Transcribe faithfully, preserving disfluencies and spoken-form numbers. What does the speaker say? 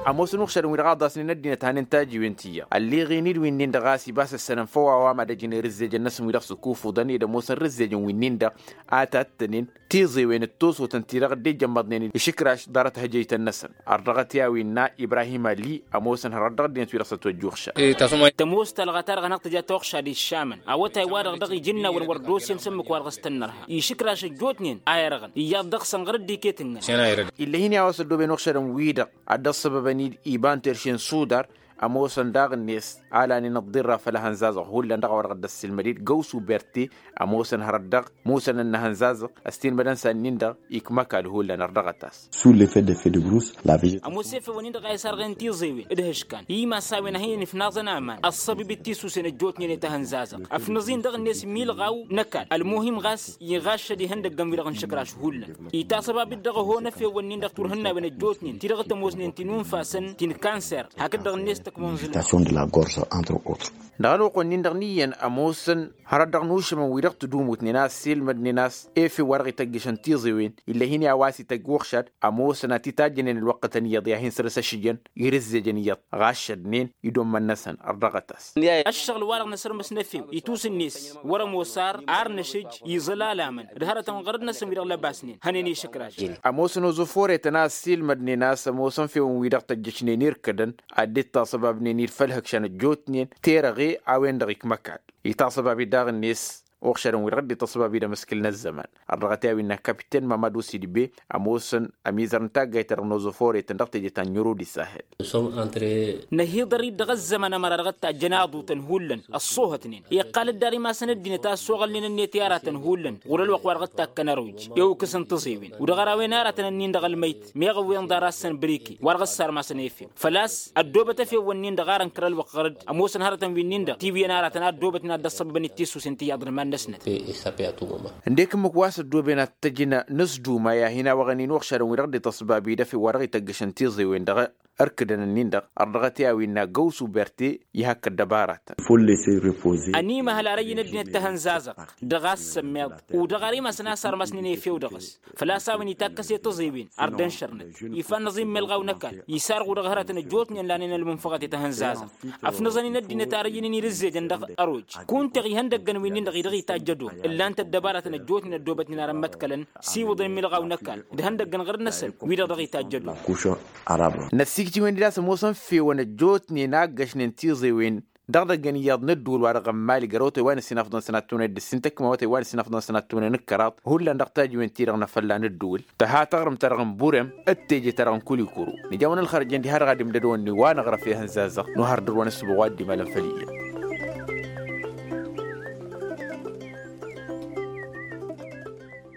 Ămoosăn uɣšadăn wi-dăɣ a ḍasnen ăddinăt hanen tajiwen ti iyyăḍ ălleɣen-dd winnin-dăɣ a-s ibas ăssănăn făw a-wa mad-ăjnen irǝzzejăn-năsăn wi-dăɣ s-ǝkufǝḍăn ed ămoosăn rǝzzejăn winnin-dăɣ a tattănen tiẓewen d-tosotăn ti-dăɣ dd-ejămmăḍnen išǝkraš ḍarăt hăjăytăn-năsăn. Ărdăɣăt i-a-wa innă ibrahim ali ămoosăn hărăt dăɣ-ăddinăt wi-dăɣ s-ătwăjja uɣšad. Tămoos talɣa-ta-dăɣ hanăɣ-tǝja ta uɣšad iššamăn awătay-wa-dăɣ dăɣ-ijǝnnawăn wăr dd-osǝyăn s-ǝmmǝk wa dăɣ-s tănnărha išǝkraš ăjjootnen a irăɣăn iyyăḍ dăɣ-săn ɣur-dd iket ǝnnăn. Ill'-e hin-i a-wa s-ăddooben uɣšadăn-wi-dăɣ ad-dd-ăṣṣăbăbăn-dd iba n-terše n-sudar. Ămoosăn daɣ-net a lanen ăḍḍirra făll-ehăn zazăɣ hullan dăɣ-a-wa dăɣ-dd-ăssiilmăd-dd găw s-uberte. Ămoosăn hărăt dăɣ-musănăn n-ehăn zazăɣ ăstiilmădăn s-ad-nin-dăɣ ikmăkal hullan ărdăɣăt-as. Ămoos efewăn-in-dăɣ a isarɣen tiẓewen d-ihǝškan imas a-wen ad-hin-inǝfnaẓăn aman ăṣṣăbib d-tisusen ăjjootnen i-tahăn zazăɣ ăfnăẓ-in dăɣ-net milɣaw n-ăkall ălmuhim ɣas iɣaššăd ihăndăggăn-wi-dăɣ n-išǝkraš hullan. Itaṣăbab-dd dăɣ-ehon efewăn-in-dăɣ turhǝnnawen ăjjootnen ti-dăɣ tămoosnen tinunfasăn ti n-kanser hakd-dăɣ-net tăkmănẓǝl. Dăɣ-ălwăqq-wen-in-dăɣ n-iyyăn ămoosăn hărăt dăɣ-inušămăn wi-dăɣ tǝdumutnen a ăssiilmădnen a-s efew wa dăɣ-ităjjăšăn tiẓewen ill'-e hin-i a-wa s-ităjj uɣšad ămoosăn ad-t-itajjănen ălwăqqătăn iyyăḍ i-ad-hin-săr-s ašǝjăn irǝzzejăn iyyăḍ ɣaššădnen idommăn-năsăn ărdăɣăt-as. Ăššăɣǝl-wa-dăɣ n-asărmǝs n-efew itusǝnnes wăr-ămoos ar ar năšǝj iẓǝlalamăn d-hărătăn ɣărăt-năsăn wi-dăɣ lăbasnen hănen išǝkraš. Ămoosăn ozoforetăn a ăssiilmădnen a-s ămoosăn fewăn-wi-dăɣ tăjjăšnen irkădăn ad-dd-taṣăbabnen-dd făll-ihǝkšan ăjjootnen terăɣe a-wen-dăɣ ikmăkal. Itaṣăbab-dd daɣ-net uɣšadăn-wi-dăɣ dd-taṣăbab-dd amǝskǝl n-ăzzăman. Ărdăɣăt i-a-wa innă kapiten mamad usidbe ămoosăn ămizăr n-taggayt-ta-dăɣ n-ozoforetăn dăɣ-teje ta n-ɲurud isahel. Năhiḍăr-dd dăɣ-ăzzăman ămăra dăɣ-dd-tajjăn aḍutăn hullan ăṣṣoohătnen iqqal-dd ar imasăn ăddinăt a ăssoɣălnen ǝnnet i-aratăn hullan ɣur-ălwăqq wa dăɣ-dd-takkăn ăroj i-ukǝs n-tiẓewin u-dăɣ ărawăn aratăn ǝnnin-dăɣ ălmăyt meɣ ăwwen ḍarasăn brike wa dăɣ-ăssarmasăn efew făl-a-s ăddoobăt efewăn-nin-dăɣ ar ǝnkăr ălwăqq ɣăr-dd ămoosăn hărătăn wi-nin-dăɣ tiwǝyăn aratăn a ăddoobătnen ad-dd-ăṣṣăbăbăn d-tisusen ti iyyăḍ n-iman-năsnăt. Ǝndek ǝmmǝk wa s-ăddooben ad-t-ăj n-ăsduma i-ad-hin-awăɣăn-in uɣšadăn-wi-dăɣ dd-ităṣbab-dd efew wa dăɣ-ităjjăšăn tiẓewen dăɣ-ărkǝdăn-nin-dăɣ. Ărdăɣăt i-a-wa innă găw s-uberte ihakk ăddăbaratăn. Ănimăhăl ar ăyy n-ăddinăt ta hăn zazăɣ dăɣ-a-s sămmeḍ u-dăɣ ar imasăn a sarmasnen efew dăɣ-s făl-a-s a-wen itakkăse tăẓewen ar dd-ănšărnăt ifannăẓ-in melɣaw n-ăkall isarɣu dăɣ-hărătăn ăjjootnen lanen ălmunfăɣăt i-tahăn zazăɣ. Ăfnăẓăn-in ăddinăt ar ăyyǝnen irǝzzejăn dăɣ-ăroj kunta ihăndăggăn wi-nin-dăɣ i-dăɣ itajj ădom ǝllan-t ăddăbarătăn ăjjootnen ăddoobătnen ar ămmăḍkălăn siwǝḍăn milɣaw n-ăkall d-ihăndăggăn ɣǝr-năsăn wi-dăɣ dăɣ-itajj ădom. Năssiiktiwen-dd a-s ămoosăn fewăn ăjjootnen a ǝggăšnen tiẓewen dăɣ-idăgg n-iyyăḍ n-ădduul wa dăɣ-ămmal igrăwătăy wa n-ǝssin afḍăn sănattunen d-ǝssin tăkmăwătăy wa n-ǝssin afḍăn sănattunen n-kăraḍ hullan dăɣ-tajǝwen-ti-dăɣ n-afălla n-ădduul tăha taɣrǝmt-ta-dăɣ n-burem d-teje-ta-dăɣ n-kulikuru. Nǝja-wăn ălxărăj ăndi har ɣadim d-ădwănni wa năɣrăf i-hăn zazăɣ n-ohăr dăr-wăn ǝssǝbăɣ wa dd-imalăn făll-iyyăn.